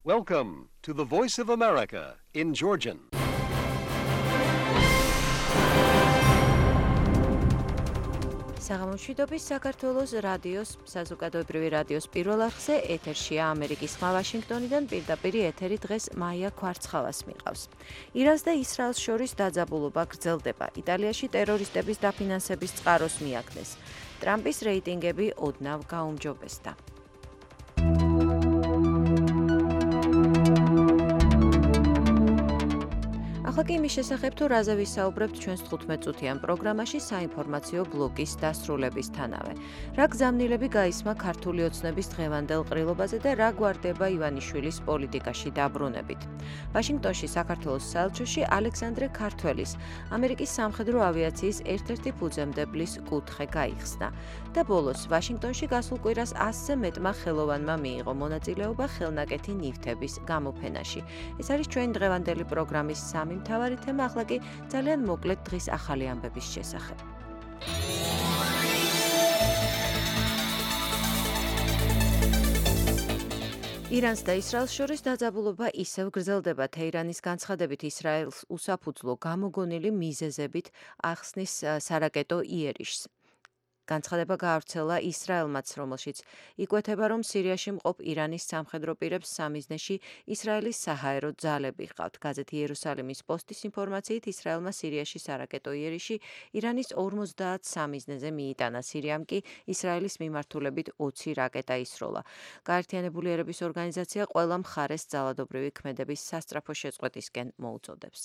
Welcome to the Voice of America in Georgian. საღამოშვიდობის საქართველოს რადიოს საზოგადოებრივი რადიოს პირველ არხზე ეთერშია ამერიკის ხმა ვაშინგტონიდან პირდაპირ ეთერი დღეს მაია ქვარცხალას მიყავს. ირანს და ისრაელს შორის დაძაბულობა გრძელდება. იტალიაში ტერორისტების დაფინანსების წყაროს მიაგნეს. ტრამპის რეიტინგები ოდნავ გაუმჯობესდა. ახლა კი იმის შესახებ თუ რაზე ვისაუბრებთ ჩვენს 15-წუთიან პროგრამაში საინფორმაციო ბლოკის დასრულებისთანავე. რა გზავნილები გაისმა ქართული ოცნების დღევანდელ ყრილობაზე და რა გვარდება ივანიშვილის პოლიტიკაში დაბრუნებით. ვაშინგტონში საქართველოს საელჩოში ალექსანდრე ქართველის, ამერიკის სამხედრო ავიაციის ერთ-ერთი ფუძემდებლის კუთხე გაიხსნა. და ბოლოს ვაშინგტონში გასულ კვირას 100-ზე მეტმა ხელოვანმა მიიღო მონაწილეობა ხელნაკეთი ნივთების გამოფენაში. ეს არის ჩვენი დღევანდელი პროგრამის სამი მთავარი თემა, ახლა კი ძალიან მოკლედ დღის ახალი ამბების შესახებ. ირანს და ისრაელს შორის დაძაბულობა ისევ გრძელდება. თეირანის განცხადებით ისრაელს უსაფუძვლო გამოგონილი მიზეზებით ახსნის სარაკეტო იერიშს. განცხადება გაავრცელა ისრაელმაც, რომელშიც იკვეთება, რომ სირიაში მყოფ ირანის სამხედრო პირებს სამიზნეში ისრაელის საჰაერო ძალები ჰყავთ. გაზეთი იერუსალიმის პოსტის ინფორმაციით, ისრაელმა სირიაში სარაკეტო იერიში ირანის 50 სამიზნეზე მიიტანა. სირიამ კი ისრაელის მიმართულებით 20 რაკეტა ისროლა. გაერთიანებული ერების ორგანიზაცია ყველა მხარეს ძალადობრივი ქმედების სასწრაფო შეწყვეტისკენ მოუწოდებს.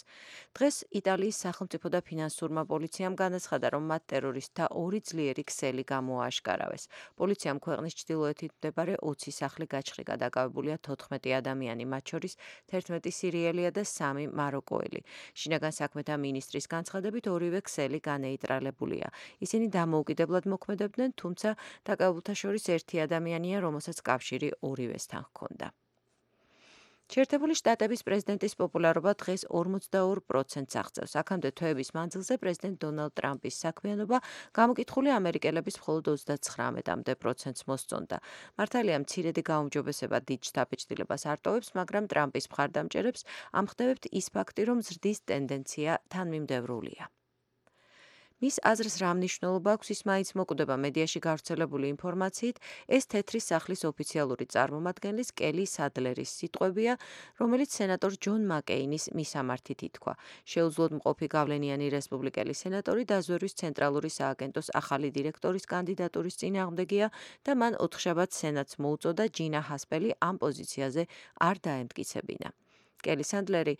დღეს იტალიის სახელმწიფო და ფინანსურმა პოლიციამ განაცხადა, რომ მათ ტერორისტთა ორი ძლიერი ქსელი გამოააშკარავეს. პოლიციამ ქვეყნის ჩრდილოეთით მდებარე 20 სახლი გაჩხრიკა, დაკავებულია 14 ადამიანი, მათ შორის 11 სირიელია და 3 მაროკოელი. შინაგან საქმეთა მინისტრის განცხადებით ორივე ქსელი განეიტრალებულია. ისინი დამოუკიდებლად მოქმედებდნენ, თუმცა დაკავებულთა შორის ერთი ადამიანია, რომელსაც კავშირი ორივესთან ჰქონდა. შეერთებული შტატების პრეზიდენტის პოპულარობა დღეს 42%-ს აღწევს. აქამდე თვეების მანძილზე პრეზიდენტ დონალდ ტრამპის საქმიანობა გამოკითხული ამერიკელების მხოლოდ 39%-ს მოსწონდა. მართალია მცირედი გაუმჯობესება დიდ შთაბეჭდილებას არ ტოვებს, მაგრამ ტრამპის მხარდამჭერებს ამხნევებთ ის ფაქტი, რომ ზრდის ტენდენცია თანმიმდევრულია. მის აზრს რა მნიშვნელობა აქვს, ის მაინც მოკვდება მედიაში გავრცელებული ინფორმაციით. ეს თეთრი სახლის ოფიციალური წარმომადგენლის კელი სადლერის სიტყვებია, რომელიც სენატორ ჯონ მაკეინის მისამართით ითქვა. შეუძლოდ მყოფი გავლენიანი რესპუბლიკელი სენატორი დაზვერვის ცენტრალური სააგენტოს ახალი დირექტორის კანდიდატურის წინააღმდეგია და მან ოთხშაბათს სენატს მოუწოდა ჯინა ჰასპელი ამ პოზიციაზე არ დაემტკიცებინა. კელი სადლერი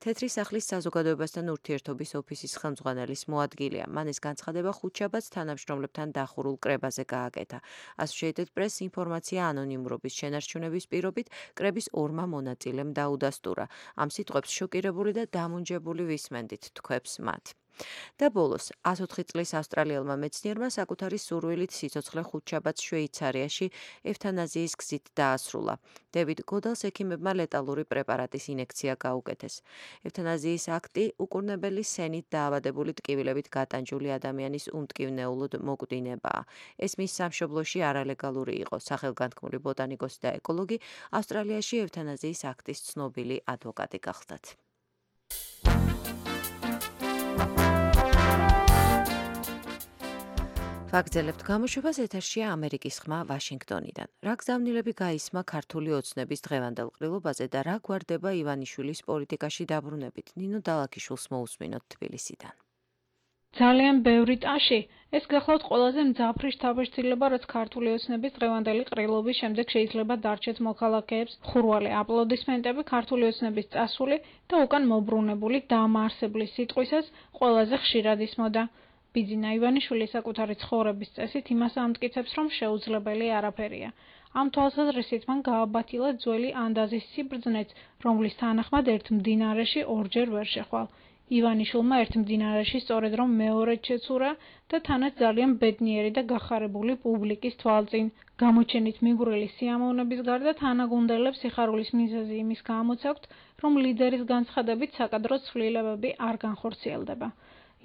თეთრი სახლის საზოგადოებასთან ურთიერთობის ოფისის ხელმძღვანელის მოადგილეა. მან ეს განცხადება ხუთშაბათს თანამშრომლებთან დახურულ კრებაზე გააკეთა. Associated Press ინფორმაცია ანონიმურობის შენარჩუნების პირობით კრების ორმა მონაწილემ დაუდასტურა. ამ სიტყვებს შოკირებული და დამუნჯებული ვისმენდით, თქვებს მათ. და ბოლოს 104 წლის ავსტრალიელმა მეცნიერმა საკუთარი სურვილით სიცოცხლე ხუთშაბათს შვეიცარიაში ევთანაზიის გზით დაასრულა. დევიდ გოდალს ექიმებმა ლეტალური პრეპარატის ინექცია გაუკეთეს. ევთანაზიის აქტი უკურნებელი სენით დაავადებული ტკივილებით გატანჯული ადამიანის უმტკივნეულოდ მოკვდინებაა. ეს მის სამშობლოში არალეგალური იყო. სახელგანთქმული ბოტანიკოსი და ეკოლოგი ავსტრალიაში ევთანაზიის აქტის ცნობილი ადვოკატი გახლდათ. ვაგრძელებთ გამოშვებას, ეთერშია ამერიკის ხმა ვაშინგტონიდან. რა გზავნილები გაისმა ქართული ოცნების დღევანდელ ყრილობაზე და რა გვარდება ივანიშვილის პოლიტიკაში დაბრუნებით. ნინო დალაქიშვილს მოусმინოთ თბილისიდან. ძალიან ბევრი ტაში, ეს გახლავთ ყველაზე მძაფრი შთაბეჭდილება, რაც ქართული ოცნების დღევანდელი ყრილობის შემდეგ შეიძლება დარჩეთ მოქალაქეებს. ხურვალი აპლოდისმენტები ქართული ოცნების წასული და უკან მობრუნებული დამაარსებლის სიტყვისას ყველაზე ხშირად ისმოდა. ბიძინა ივანიშვილი საკუთარი ცხოვრების წესით იმას ამტკიცებს, რომ შეუძლებელი არაფერია. ამ თვალსაზრისით მან გააბათილა ძველი ანდაზის სიბრძნეც, რომლის თანახმად ერთ მდინარეში ორჯერ ვერ შეხვალ. ივანიშვილმა ერთ მდინარეში სწორედ რომ მეორედ შეცურა და თანაც ძალიან ბედნიერი და გახარებული პუბლიკის თვალწინ. გამოჩენით მიგვრილი სიამოვნების გარდა თანაგუნდელებს სიხარულის მიზეზი იმის გამოცაქვთ, რომ ლიდერის განცხადებით საკადრო ცვლილებები არ განხორციელდება.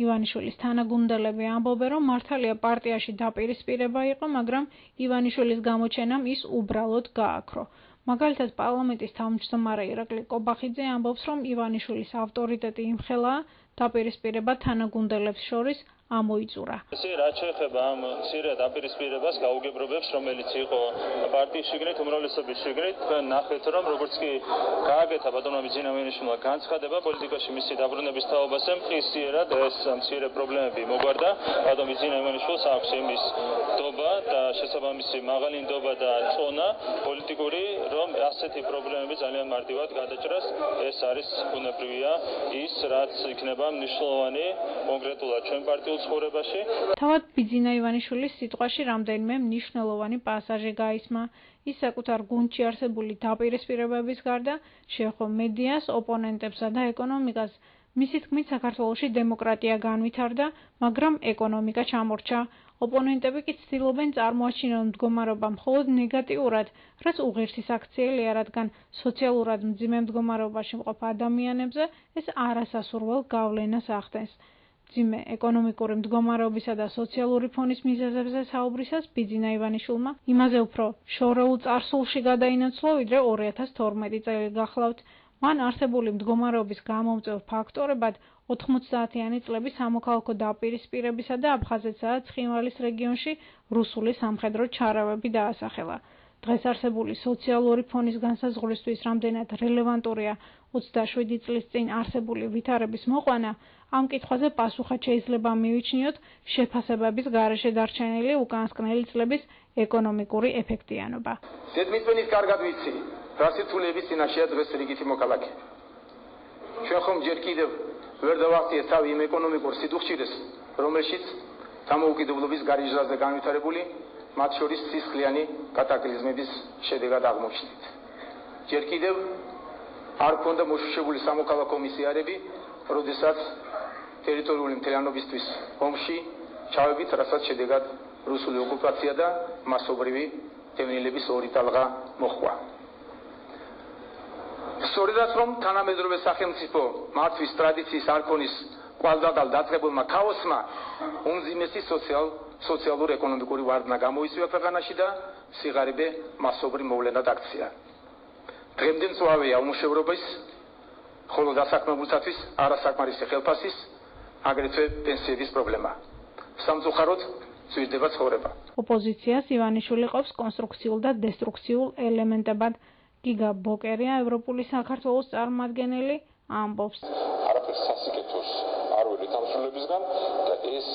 ივანიშვილის თანაგუნდელები ამბობენ, რომ მართალია პარტიაში დაპირისპირება იყო, მაგრამ ივანიშვილის გამოჩენამ ის უბრალოდ გააქრო. მაგალითად, პარლამენტის თავმჯდომარე ირაკლი კობახიძე ამბობს, რომ ივანიშვილის ავტორიტეტი იმხელა დაპირისპირება თანაგუნდელებს შორის ამოიწურა. ესე რაც შეეხება ამ მცირე დაპირისპირებას გაუგებრობებს, რომელიც იყო პარტიის შიგნით, უმრავლესობის შიგნით, თქვენ ნახეთ, რომ როგორც კი გააკეთა ბატონმა ბიძინა ივანიშვილმა განცხადება პოლიტიკაში მისი დაბრუნების თაობაზე, მყისიერად ეს მცირე პრობლემები მოგვარდა. ბატონ ბიძინა ივანიშვილს აქვს იმის ნდობა და შესაბამისი მაღალი ნდობა და წონა პოლიტიკური, რომ ასეთი პრობლემები ძალიან მარტივად გადაჭრას. ეს არის ბუნებრივია ის, რაც იქნება მნიშვნელოვანი კონკრეტულად ჩვენ პარტიულ ცხოვრებაში. თავად ბიძინა ივანიშვილის სიტყვაში რამდენიმე მნიშვნელოვანი პასაჟი გაისმა. ის საკუთარ გუნდში არსებული დაპირისპირებების გარდა შეეხო მედიას, ოპონენტებსა და ეკონომიკას. მისი თქმით, საქართველოში დემოკრატია განვითარდა, მაგრამ ეკონომიკა ჩამორჩა. ოპონენტები კი ცდილობენ წარმოაჩინონ მდგომარეობა მხოლოდ ნეგატიურად, რაც უღირსი საქციელია, რადგან სოციალურად მძიმე მდგომარეობაში მყოფ ადამიანებზე ეს არასასურველ გავლენას ახდენს. მძიმე ეკონომიკური მდგომარეობისა და სოციალური ფონის მიზეზებზე საუბრისას ბიძინა ივანიშვილმა იმაზე უფრო შორეულ წარსულში გადაინაცვლა, ვიდრე 2012 წელი გახლავთ. მან არსებული მდგომარეობის გამომწვევ ფაქტორებად 90-იანი წლების სამოქალაქო დაპირისპირებისა და აფხაზეთსა და ცხინვალის რეგიონში რუსული სამხედრო ჩარავები დაასახელა. დღეს არსებული სოციალური ფონის განსაზღვრისთვის რამდენად რელევანტურია 27 წლის წინ არსებული ვითარების მოყვანა, ამ კითხვაზე პასუხად შეიძლება მივიჩნიოთ შეფასებების გარეშე დარჩენილი უკანასკნელი წლების ეკონომიკური ეფექტიანობა. დედმიწვენის კარგად ვიცი, რა სირთულეების წინაშეა დღეს რიგითი მოქალაქე. ჩვენ ხომ ჯერ კიდევ ვერ დავახციეთ თავი იმ ეკონომიკურ სიდუხჭირეს, რომელშიც დამოუკიდებლობის გარიჟრაზე განვითარებული, მათ შორის სისხლიანი კატაკლიზმების შედეგად აღმოჩნდით. ჯერ კიდევ არ ქონდა მოშუშებული სამოქალაქო მისიარები, როდესაც ტერიტორიული მთლიანობისთვის ომში ჩავებით, რასაც შედეგად რუსული ოკუპაცია და მასობრივი დევნილების ორი ტალღა მოჰყვა. სწორედაც რომ თანამედროვე სახელმწიფო მართვის ტრადიციის არქონის კვალდადალ დაწყებულმა ქაოსმა უმძიმესი სოციალურ ეკონომიკური ვარდნა გამოიწვია ქვეყანაში და სიღარიბე მასობრივ მოვლენად აქცია. დღემდე მწვავეა უმუშევრობის, ხოლო დასაქმებულთათვის არასაკმარისი ხელფასის, აგრეთვე პენსიების პრობლემა. სამწუხაროდ ძვირდება ცხოვრება. ოპოზიციას ივანიშვილი ყოფს კონსტრუქციულ და დესტრუქციულ ელემენტებად. გიგა ბოკერია, ევროპული საქართველოს წარმომადგენელი, ამბობს. არაფერს სასიკეთოს არ ვეძებთ ამ სრულებისგან და ეს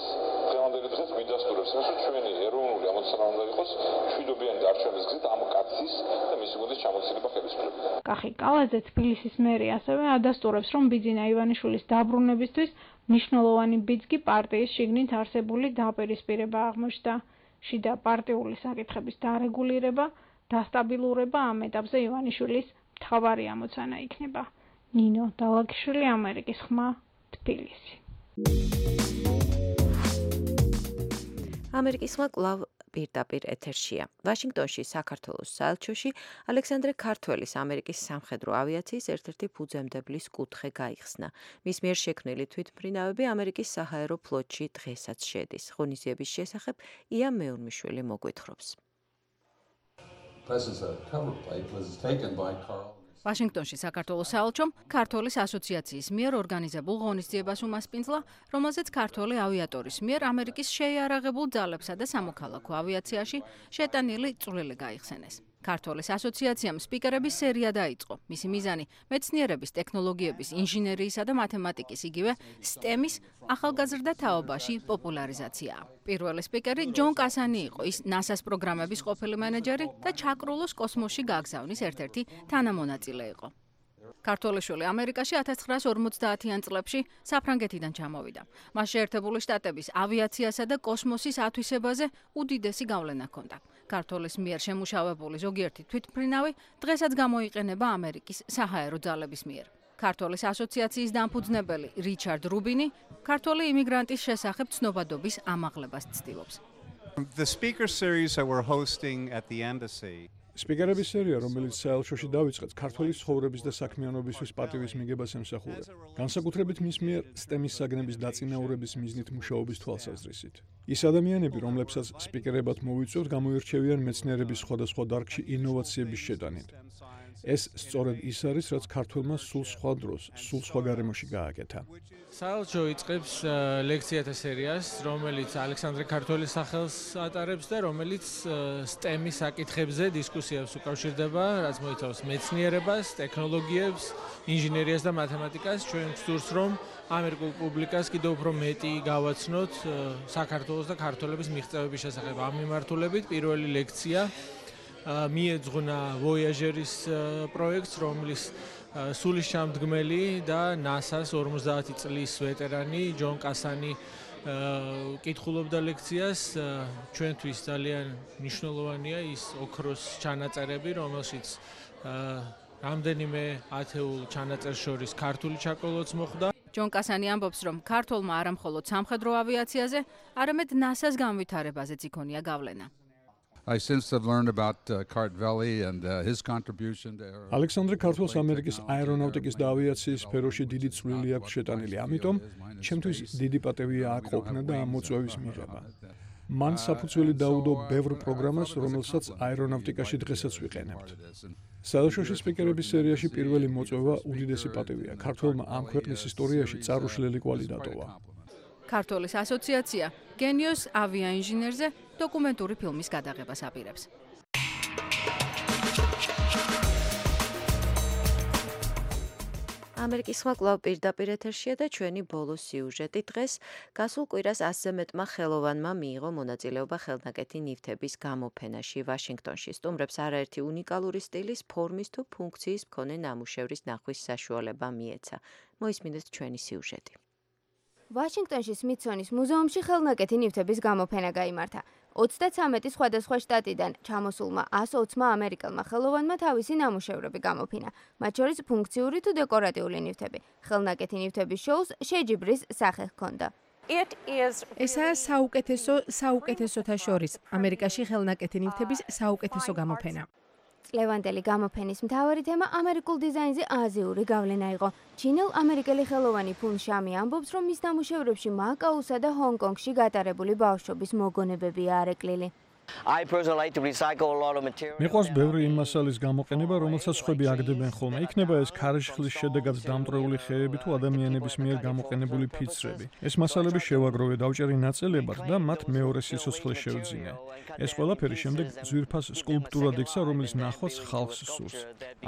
დღევანდელი დღეს გვიდასტურებს, რომ ჩვენი ეროვნული ამოცანა უნდა იყოს მშვიდობიანი დარჩენის გზით ამ კაცის და მისი გუნდის ჩამოცილება ხელისუფლებიდან. კახი კალაძე, თბილისის მერი, ასევე ადასტურებს, რომ ბიძინა ივანიშვილის დაბრუნებისთვის მნიშვნელოვანი ბიძგი პარტიის შიგნით არსებული დაპირისპირება აღმოჩნდა. შიდა პარტიული საკითხების დარეგულირება, დასტაბილურება ამ ეტაპზე ივანიშვილის მთავარი ამოცანა იქნება. ნინო დალაგიშვილი, ამერიკის ხმა, თბილისი. ამერიკის ხმა კვლავ პირდაპირ ეთერშია. ვაშინგტონში საქართველოს საელჩოში ალექსანდრე ქართველის ამერიკის სამხედრო ავიაციის ერთ-ერთი ფუძემდებლის კუთხე გაიხსნა. მის მიერ შექმნილი თვითმფრინავები ამერიკის საჰაერო ფლოტში დღესაც შედის. ღონისძიების შესახებ ია მეურმიშვილი მოგვითხრობს. ვაშინგტონში საქართველოს საელჩომ ქართველის ასოციაციის მიერ ორგანიზებულ ღონისძიებას უმასპინძლა, რომელზეც ქართველი ავიატორის მიერ ამერიკის შეიარაღებულ ძალებსა და სამოქალაქო ავიაციაში შეტანილი წვლილი გაიხსენეს. ქართველის ასოციაციამ სპიკერების სერია დაიწყო. მისი მიზანი მეცნიერების, ტექნოლოგიების, ინჟინერიისა და მათემატიკის, იგივე STEM-ის ახალგაზრდა თაობაში პოპულარიზაციაა. პირველი სპიკერი ჯონ კასანი იყო, ის NASA-ს პროგრამების ყოფილი მენეჯერი და ჩაკრულოს კოსმოსში გაგზავნის ერთ-ერთი თანამონაწილე იყო. ქართველიშვილი ამერიკაში 1950-იან წლებში საფრანგეთიდან ჩამოვიდა. მას შეერთებული შტატების ავიაციასა და კოსმოსის ათვისებაზე უდიდესი გავლენა ჰქონდა. ქართველის მიერ შემუშავებული ზოგიერთი თვითმფრინავი დღესაც გამოიყენება ამერიკის საჰაერო ძალების მიერ. ქართველის ასოციაციის დამფუძნებელი რიჩარდ რუბინი ქართველი იმიგრანტის შესახებ ცნობადობის ამაღლებას ცდილობს. The speaker series that we're hosting at the embassy სპიკერების სერია, რომელიც საელჩოში დაიწყეთ, ქართველის ცხოვრების და საქმიანობისთვის პატივის მიგებას ემსახურება. განსაკუთრებით მის მიერ STEM-ის საგნების დაწინაურების მიზნით მუშაობის თვალსაზრისით. ის ადამიანები, რომლებსაც სპიკერებად მოვიწვევთ, გამოირჩევიან მეცნიერების სხვადასხვა დარგში ინოვაციების შეტანით. ეს სწორედ ის არის, რაც ქართველმა სულ სხვა დროს, სულ სხვა გარემოში გააკეთა. საელჩო იწყებს ლექციათა სერიას, რომელიც ალექსანდრე ქართველის სახელს ატარებს და რომელიც STEM-ის საკითხებზე დისკუსიებს უკავშირდება, რაც მოიცავს მეცნიერებას, ტექნოლოგიებს, ინჟინერიას და მათემატიკას. ჩვენ ვსურს, რომ ამერიკულ პუბლიკას კიდევ უფრო მეტი გავაცნოთ საქართველოს და ქართველების მიღწევების შესახებ. ამ მიმართულებით პირველი ლექცია მიეძღვნა Voyager-ის პროექტს, რომლის სულისჩამდგმელი და NASA-ს 50 წლის ვეტერანი ჯონ კასანი კითხულობდა ლექციას. ჩვენთვის ძალიან მნიშვნელოვანია ის ოქროს ჩანაწერები, რომელშიც რამდენიმე ათეულ ჩანაწერს შორის ქართული ჩაკოლოც მოხდა. ჯონ კასანი ამბობს, რომ ქართველმა არა მხოლოდ სამხედრო ავიაციაზე, არამედ NASA-ს განვითარებაზეც იქონია გავლენა. I since have learned about Cart Valley and his contribution to ალექსანდრე ქართველს ამერიკის აერონავტიკის და ავიაციის სფეროში დიდი წვლილი აქვს შეტანილი. ამიტომ ჩემთვის დიდი პატივია აქ ყოფნა და ამ მოწვევის მიღება. მან საფუძველი დაუდო ბევრ პროგრამას, რომელსაც აერონავტიკაში დღესაც ვიყენებთ. საელჩოში სპიკერების სერიაში პირველი მოწვევა უდიდესი პატივია. ქართველმა ამ ქვეყნის ისტორიაში წარუშლელი კვალი დატოვა. ქართველის ასოციაცია გენიოს ავიაინჟინერზე დოკუმენტური ფილმის გადაღებას აპირებს. ამერიკის ხმა კვლავ პირდაპირ ეთერშია და ჩვენი ბოლო სიუჟეტი დღეს გასულ კვირას 100-ზე მეტმა ხელოვანმა მიიღო მონაწილეობა ხელნაკეთი ნივთების გამოფენაში ვაშინგტონში. სტუმრებს არაერთი უნიკალური სტილის, ფორმის თუ ფუნქციის მქონე ნამუშევრის ნახვის საშუალება მიეცა. მოისმინეთ ჩვენი სიუჟეტი. ვაშინგტონში სმითსონის მუზეუმში ხელნაკეთი ნივთების გამოფენა გაიმართა. 33 სხვადასხვა შტატიდან ჩამოსულმა 120-მა ამერიკელმა ხელოვანმა თავისი ნამუშევრები გამოფინა, მათ შორის ფუნქციური თუ დეკორატიული ნივთები. ხელნაკეთი ნივთების შოუს შეჯიბრის სახე ჰქონდა. ესაა საუკეთესოთა შორის ამერიკაში ხელნაკეთი ნივთების საუკეთესო გამოფენა. წლევანდელი გამოფენის მთავარი თემა ამერიკულ დიზაინზე აზიური გავლენა იყო. ჩინელ-ამერიკელი ხელოვანი ფუნ შამი ამბობს, რომ მის ნამუშევრებში მაკაუსა და ჰონგ-კონგში გატარებული ბავშვობის მოგონებებია არეკლილი. მიყვარს ბევრი იმ მასალის გამოყენება, რომელსაც ხვები აგდებენ ხოლმე. იქნება ეს ქარიშხლის შედეგად დამტვრეული ხეები თუ ადამიანების მიერ გამოყენებული ფიცრები. ეს მასალები შევაგროვე, დავჭერი ნაწილებად და მათ მეორე სიცოცხლე შევძინე. ეს ყველაფერი შემდეგ ძვირფას სკულპტურად იქცა, რომლის ნახვაც ხალხს სურს.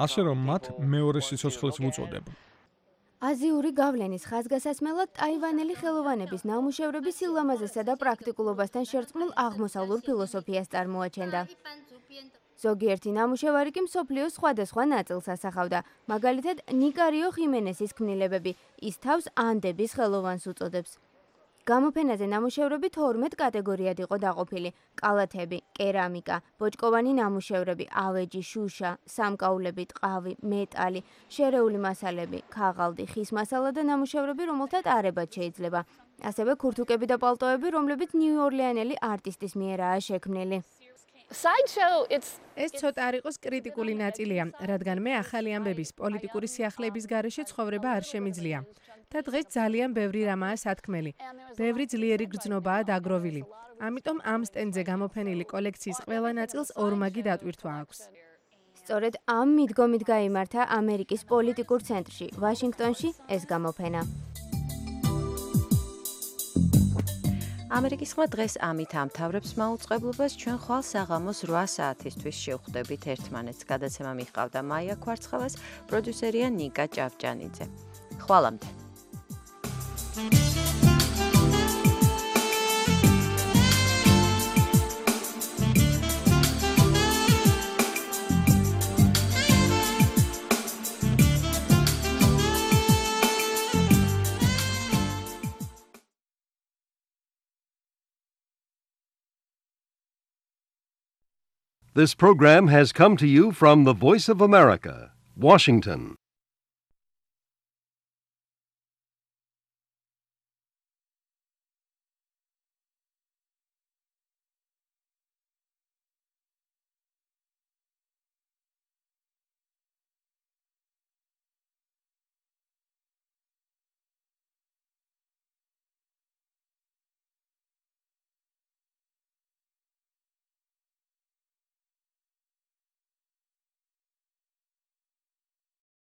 ასე რომ მათ მეორე სიცოცხლეს ვუწოდებ. აზიური გავლენის ხაზგასასმელად ტაივანელი ხელოვანების ნამუშევრები სილამაზესა და პრაქტიკულობასთან შერწყმულ აღმოსავლურ ფილოსოფიას წარმოაჩენდა. ზოგიერთი ნამუშევარი კი მსოფლიოს სხვადასხვა ნაწილს ასახავდა. მაგალითად, ნიკარიო ხიმენესის ქმნილებები, ის თავს ანდების ხელოვანს უწოდებს. გამოფენაზე ნამუშევრები 12 კატეგორიად იყო დაყოფილი: კალათები, კერამიკა, ბოჭკოვანი ნამუშევრები, ავეჯი, შუშა, სამკაულები, ტყავი, მეტალი, შერეული მასალები, ქაღალდი, ხის მასალა და ნამუშევრები, რომელთა ტარებაც შეიძლება. ასევე ქურთუკები და პალტოები, რომლებიც ნიუ-ორლეანელი არტისტის მიერაა შექმნილი. ეს ცოტა არ იყოს კრიტიკული ნაწილია, რადგან მე ახალი ამბების პოლიტიკური სიახლეების გარეშე ცხოვრება არ შემიძლია. და დღეს ძალიან ბევრი რამაა სათქმელი. ბევრი ძლიერი გრძნობაა დაგროვილი. ამიტომ ამ სტენდზე გამოფენილი კოლექციის ყველა ნაწილს ორმაგი დატვირთვა აქვს. სწორედ ამ მიდგომით გაიმართა ამერიკის პოლიტიკურ ცენტრში, ვაშინგტონში ეს გამოფენა. ამერიკის ხმა დღეს ამით ამთავრებს მაუწყებლობას. ჩვენ ხვალ საღამოს 8 საათისთვის შევხვდებით ერთმანეთს. გადაცემა მიჰყავდა მაია ქვარცხავას, პროდიუსერია ნიკა ჭავჭანიძე. ხვალამდე. This program has come to you from the Voice of America, Washington.